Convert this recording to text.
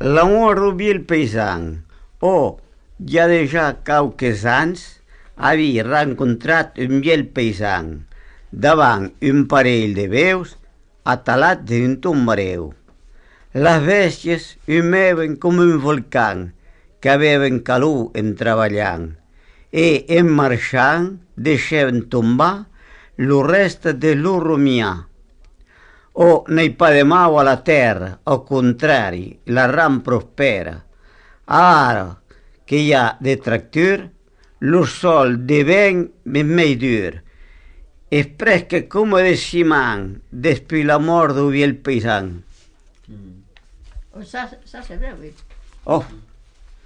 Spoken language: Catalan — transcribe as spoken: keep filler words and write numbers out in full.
l'amor du vil paisan, o ja de ja quauques anys havia rencontrat un viel paisan davant un parell de veus atalat dins un mareu. Les bèsties humeven com un volcán que beven calor en treballant e en marxant deixaven tombar lo reste de lo rumiar. O n'hi pa de mau a la terra, al contrari, la ram prospera. Ara que hi ha detractor, lo sol devient més dur. És presque com de ciment després la mort du viel paisan. Mm. Og så, så ser det ut. Oh.